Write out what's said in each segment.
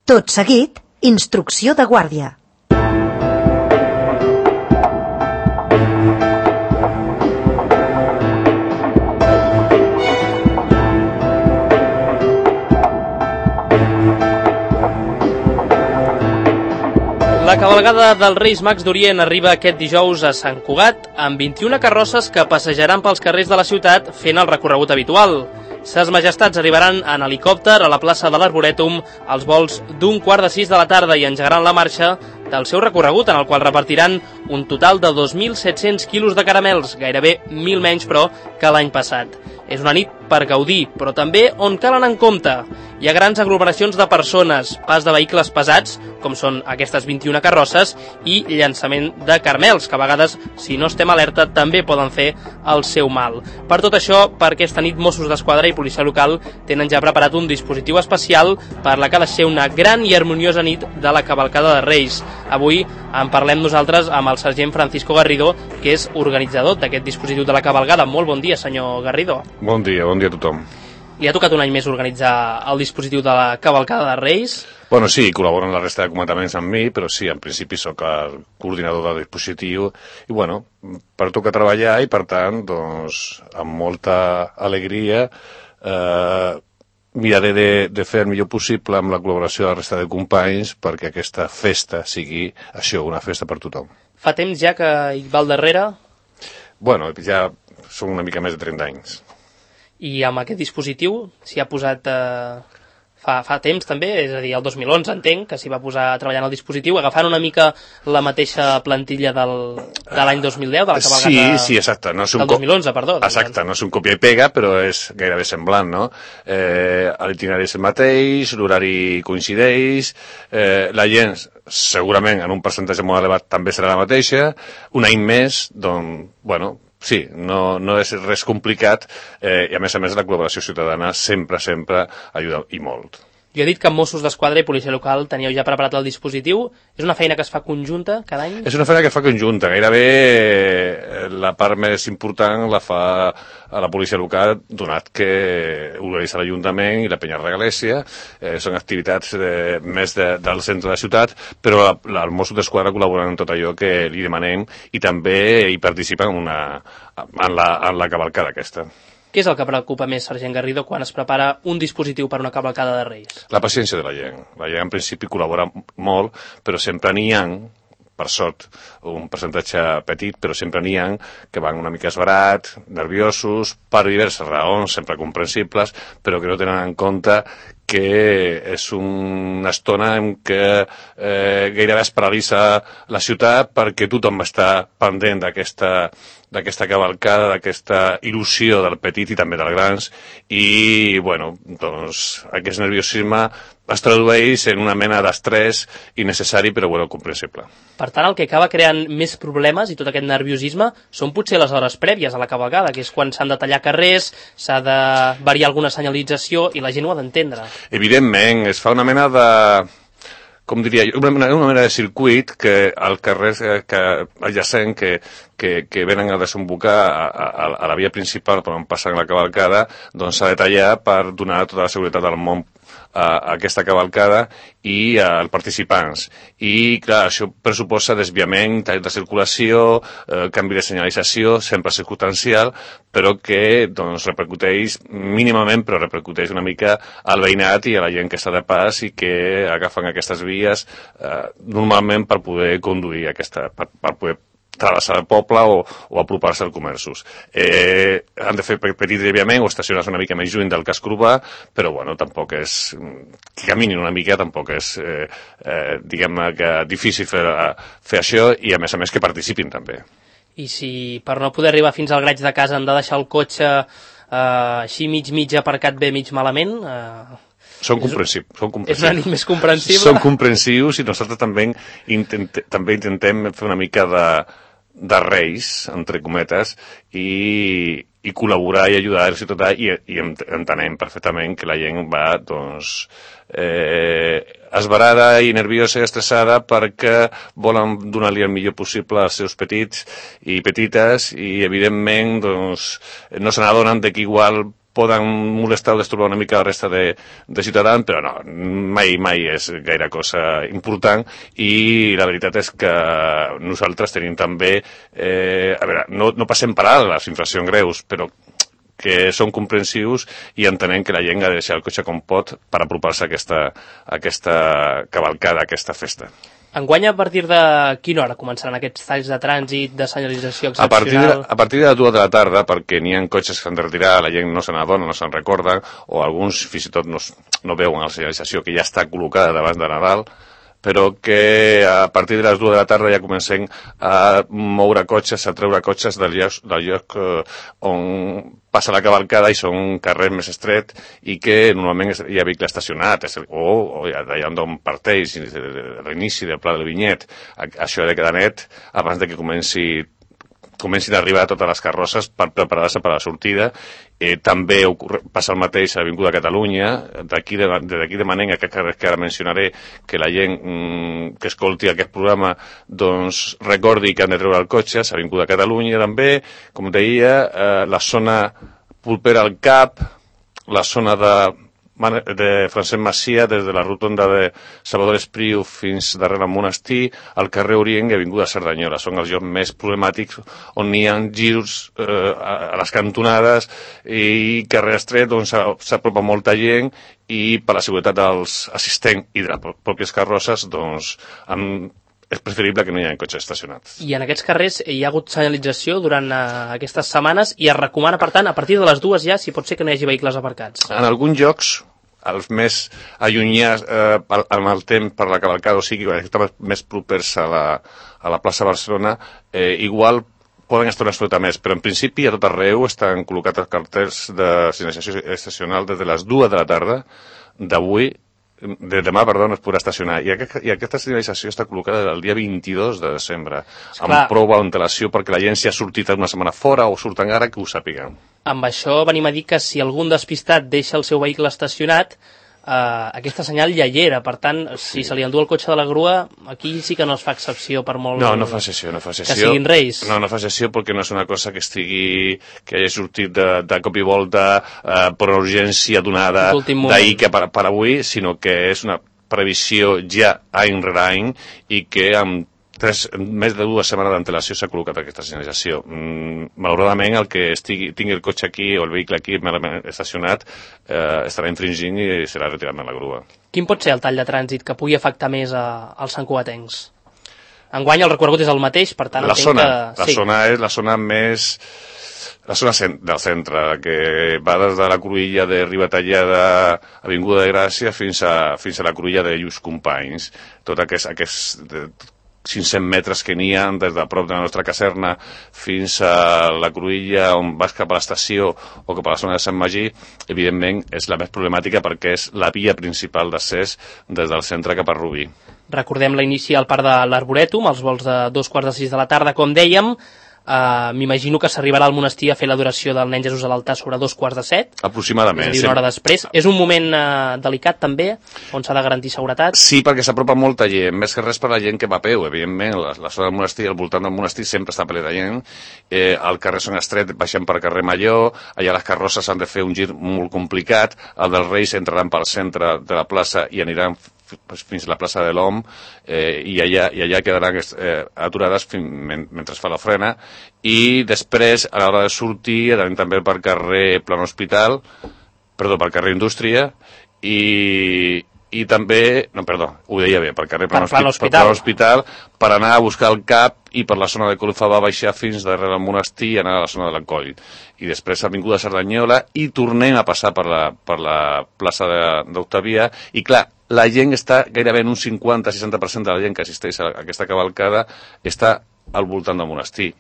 Tot seguit, instrucció de guàrdia. La cavalgada dels Reis Mags d'Orient arriba aquest dijous a Sant Cugat amb 21 carrosses que passejaran pels carrers de la ciutat fent el recorregut habitual. Ses majestats arribaran en helicòpter a la plaça de l'Arborètum als vols d'15:45 de la tarda i engegaran la marxa del seu recorregut, en el qual repartiran un total de 2.700 quilos de caramels, gairebé 1.000 menys, però, que l'any passat. És una nit per gaudir, però també on cal anar en compte. Hi ha grans aglomeracions de persones, pas de vehicles pesats, com són aquestes 21 carrosses, i llançament de caramels, que a vegades, si no estem alerta, també poden fer el seu mal. Per tot això, per aquesta nit, Mossos d'Esquadra i policia local tenen ja preparat un dispositiu especial per la que ha de ser una gran i harmoniosa nit de la cavalcada de Reis. Avui en parlem nosaltres amb el sergent Francisco Garrido, que és organitzador d'aquest dispositiu de la cavalgada. Molt bon dia, senyor Garrido. Bon dia a tothom. Li ha tocat un any més organitzar el dispositiu de la cavalcada de Reis? Bueno, sí, col·laboren la resta de comandantaments amb mi, però sí, en principi sóc el coordinador del dispositiu i, bueno, per tocar treballar i, per tant, doncs, amb molta alegria miraré de fer el millor possible amb la col·laboració de la resta de companys perquè aquesta festa sigui això, una festa per tothom. Fa temps ja que hi va al darrere? Bueno, ja són una mica més de 30 anys. I amb aquest dispositiu s'hi ha posat fa temps també, és a dir, el 2011 entenc que s'hi va posar a treballar en el dispositiu, agafant una mica la mateixa plantilla de l'any 2010, de la cavalgata sí, exacte. No és un del 2011, perdó. Exacte, no és un copia i pega, però és gairebé semblant, no? L'itinerari és el mateix, l'horari coincideix, la gent segurament en un percentatge molt elevat també serà la mateixa, un any més, doncs, bueno, sí, no és res complicat i a més la col·laboració ciutadana sempre ajuda i molt. Jo he dit que amb Mossos d'Esquadra i policia local teníeu ja preparat el dispositiu. És una feina que es fa conjunta cada any? És una feina que es fa conjunta. Gairebé la part més important la fa a la policia local, donat que organitza l'Ajuntament i la Penya Regalèsia. Són activitats més del centre de la ciutat, però els Mossos d'Esquadra col·laboren en tot allò que li demanem i també hi participen en la cavalcada aquesta. Què és el que preocupa més, sergent Garrido, quan es prepara un dispositiu per una cavalcada de Reis? La paciència de la gent. La gent, en principi, col·labora molt, però sempre n'hi ha, per sort, un percentatge petit, però sempre n'hi ha que van una mica esbarat, nerviosos, per diverses raons, sempre comprensibles, però que no tenen en compte que és una estona en què gairebé es paralitza la ciutat perquè tothom està pendent d'aquesta cavalcada, d'aquesta il·lusió del petit i també dels grans i, bueno, doncs aquest nerviosisme es tradueix en una mena d'estrès innecessari però, bueno, comprensible. Per tant, el que acaba creant més problemes i tot aquest nerviosisme són potser les hores prèvies a la cavalgada, que és quan s'han de tallar carrers, s'ha de variar alguna senyalització i la gent ho ha d'entendre. Evidentment, es fa una mena de... com diria jo, una mena de circuit que al carrer adjacent que venen a desembocar a la via principal per on passen la cavalcada, doncs s'ha de tallar per donar tota la seguretat del món a aquesta cavalcada i als participants. I, clar, això pressuposa desviament, tall de circulació, canvi de senyalització, sempre circumstancial, però que doncs, repercuteix mínimament, però repercuteix una mica al veïnat i a la gent que està de pas i que agafen aquestes vies normalment per poder conduir per poder travessar el poble o apropar-se als comerços. Han de fer petit desviament o estacionar-se una mica més lluny del casc urbà, però bueno, tampoc és... que caminin una mica tampoc és, diguem-ne, que difícil fer això i a més que participin també. I si per no poder arribar fins al graig de casa han de deixar el cotxe així mig aparcat bé, mig malament... Són comprensius. És una nit més comprensible. Són comprensius i nosaltres també intentem fer una mica de reis, entre cometes, i col·laborar i ajudar el ciutadà i entenem perfectament que la gent va, doncs, esbarada i nerviosa i estressada perquè volen donar-li el millor possible als seus petits i petites i, evidentment, doncs, no se n'adonen que igual poden molestar o destorbar una mica la resta de ciutadans, però no, mai és gaire cosa important, i la veritat és que nosaltres tenim també, a veure, no passem per alt les infraccions greus, però que són comprensius i entenem que la gent ha de deixar el cotxe com pot per apropar-se a aquesta cavalcada, a aquesta festa. Enguany, a partir de quina hora començaran aquests talls de trànsit, de senyalització excepcional? A partir de les 2 de la tarda, perquè n'hi ha cotxes que s'han de retirar, la gent no se n'adona, no se'n recorda, o alguns fins i tot no veuen la senyalització que ja està col·locada davant de Nadal, però que a partir de les 2 de la tarda ja comencem a moure cotxes, a treure cotxes del lloc on passa la cavalcada i són carrers més estrets i que normalment hi ha vehicle estacionat, o d'allà on parteix, l'inici del Pla del Vinyet. Això ha de quedar net abans de que comencin a arribar totes les carrosses per preparar-se per a la sortida. També passa el mateix a l'Avinguda Catalunya. D'aquí demanem a aquests carrers que ara mencionaré que la gent que escolti aquest programa doncs recordi que han de treure el cotxe. A l'Avinguda Catalunya també, com deia, la zona Pulpera al Cap, la zona de Francesc Macià, des de la rotonda de Salvador Espriu fins darrere el monestir, al carrer Orient i Avinguda Cerdanyola. Són els llocs més problemàtics on hi ha girs a les cantonades i carrer estret on s'apropa molta gent, i per la seguretat dels assistents i de les pròpies carrosses doncs és preferible que no hi hagi cotxes estacionats. I en aquests carrers hi ha hagut senyalització durant aquestes setmanes i es recomana, per tant, a partir de les 2 ja, si pot ser que no hi hagi vehicles aparcats. En alguns llocs, els més allunyats amb el temps per la cavalcada, o sigui, que estan més propers a la plaça Barcelona, igual poden estar una estona més, però en principi a tot arreu estan col·locats els cartells de senyalització estacional des de les 2 de la tarda de demà, es podrà estacionar. I aquesta senyalització està col·locada el dia 22 de desembre, amb prou antelació perquè la gent si ha sortit una setmana fora o surten ara que ho sàpiguen. Amb això venim a dir que si algun despistat deixa el seu vehicle estacionat, aquesta senyal ja hi era, per tant, si se li endú el cotxe de la grua, aquí sí que no es fa excepció per molt... No fa excepció. Que siguin reis. No fa excepció perquè no és una cosa que hagi sortit de cop i volta per una urgència donada d'ahir que per avui, sinó que és una previsió ja any rere any i que amb més de 2 setmanes d'antelació s'ha col·locat aquesta senyalització. Malauradament, el que tingui el cotxe aquí o el vehicle aquí estacionat estarà infringint i serà retirat de la grua. Quin pot ser el tall de trànsit que pugui afectar més als santcugatencs? Enguany el recorregut és el mateix, per tant... La zona és la zona més... La zona del centre, que va des de la cruïlla de Ribatallada, Avinguda de Gràcia, fins a la cruïlla de Lluís Companys. Tot aquest 500 metres que n'hi ha des de prop de la nostra caserna fins a la cruïlla on vas cap a l'estació o cap a la zona de Sant Magí, evidentment és la més problemàtica perquè és la via principal d'accés des del centre cap a Rubí. Recordem l'inici al Parc de l'Arborètum, els vols de 2:45 de la tarda, com dèiem. M'imagino que s'arribarà al monestir a fer l'adoració del nen Jesús a l'altar sobre 2:45. Aproximadament. És a dir, una hora després. És un moment delicat també, on s'ha de garantir seguretat? Sí, perquè s'apropa molta gent, més que res per la gent que va a peu, evidentment. La zona del monestir, al voltant del monestir sempre està ple de gent. El carrer Son Estret baixem per carrer Major, allà les carrosses han de fer un gir molt complicat, el dels Reis entraran pel centre de la plaça i aniran fins a la plaça de l'Om i allà quedaran aturades mentre es fa la frena, i després a l'hora de sortir anem també per carrer per carrer Indústria i també, ho deia bé, per carrer Hospital, per anar a buscar el CAP i per la zona de Colofava baixar fins darrere el monestir i anar a la zona de l'Encoll. I després Avinguda Cerdanyola i tornem a passar per la plaça d'Octavia i clar, la gent està gairebé en un 50-60% de la gent que assisteix a aquesta cavalcada està al voltant del monestir.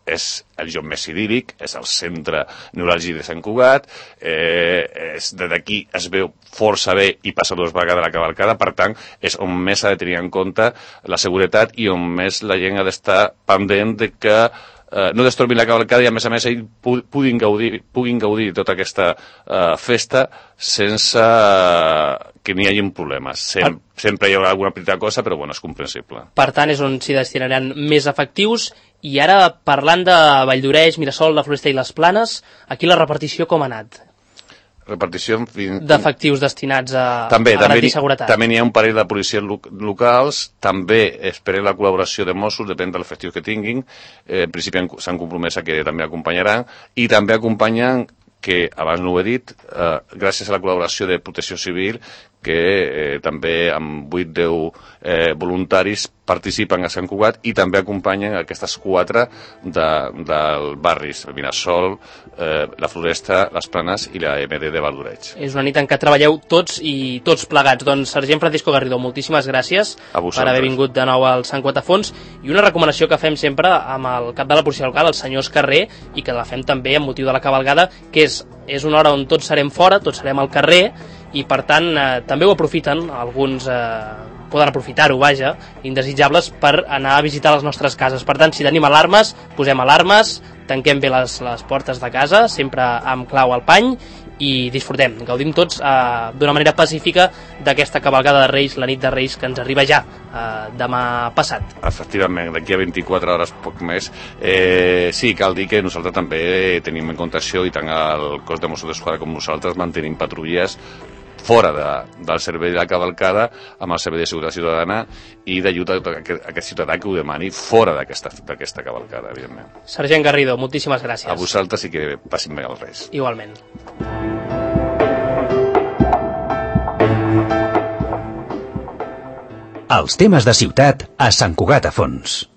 És el lloc més idíl·lic, és el centre neuràlgic de Sant Cugat, des d'aquí es veu força bé i passa 2 vegades la cavalcada, per tant, és on més s'ha de tenir en compte la seguretat i on més la gent ha d'estar pendent de que no destorbin la cavalcada i a més ells puguin gaudir de tota aquesta festa sense que n'hi hagi problemes. Sempre hi haurà alguna petita cosa, però bueno, és comprensible. Per tant, és on s'hi destinaran més efectius. I ara, parlant de Valldoreix, Mirasol, la Floresta i les Planes, aquí la repartició com ha anat? repartició d'efectius destinats a també garantir seguretat. També n'hi ha un parell de policies locals, també esperem la col·laboració de Mossos, depèn dels efectius que tinguin, en principi s'han compromès a que també acompanyaran, i també acompanyen, que abans no ho he dit, gràcies a la col·laboració de Protecció Civil, que també amb 8-10 voluntaris participen a Sant Cugat i també acompanyen aquestes 4 dels barris, el Vinasol, la Floresta, les Planes i la MD de Valdoreig. És una nit en què treballeu tots i tots plegats. Doncs, sergent Francisco Garrido, moltíssimes gràcies per haver vingut de nou al Sant Cugat a Fons, i una recomanació que fem sempre amb el cap de la policia local, el senyor Escarrer, i que la fem també amb motiu de la cavalgada, que és una hora on tots serem fora, tots serem al carrer, i per tant també ho aprofiten, alguns poden aprofitar-ho, vaja, indesitjables, per anar a visitar les nostres cases. Per tant, si tenim alarmes, posem alarmes, tanquem bé les portes de casa, sempre amb clau al pany, i disfrutem, gaudim tots d'una manera pacífica d'aquesta cavalgada de Reis, la nit de Reis, que ens arriba ja demà passat. Efectivament, d'aquí a 24 hores, poc més. Sí, cal dir que nosaltres també tenim en compte això, i tant el cos de Mossos d'Esquadra com nosaltres mantenim patrulles fora del servei de la cavalcada, amb el servei de seguretat ciutadana, i d'ajuda a aquest ciutadà que ho demani fora d'aquesta cavalcada, evidentment. Sergent Garrido, moltíssimes gràcies. A vosaltres, i que passin bé els Reis. Igualment. Els temes de ciutat a Sant Cugat a Fons.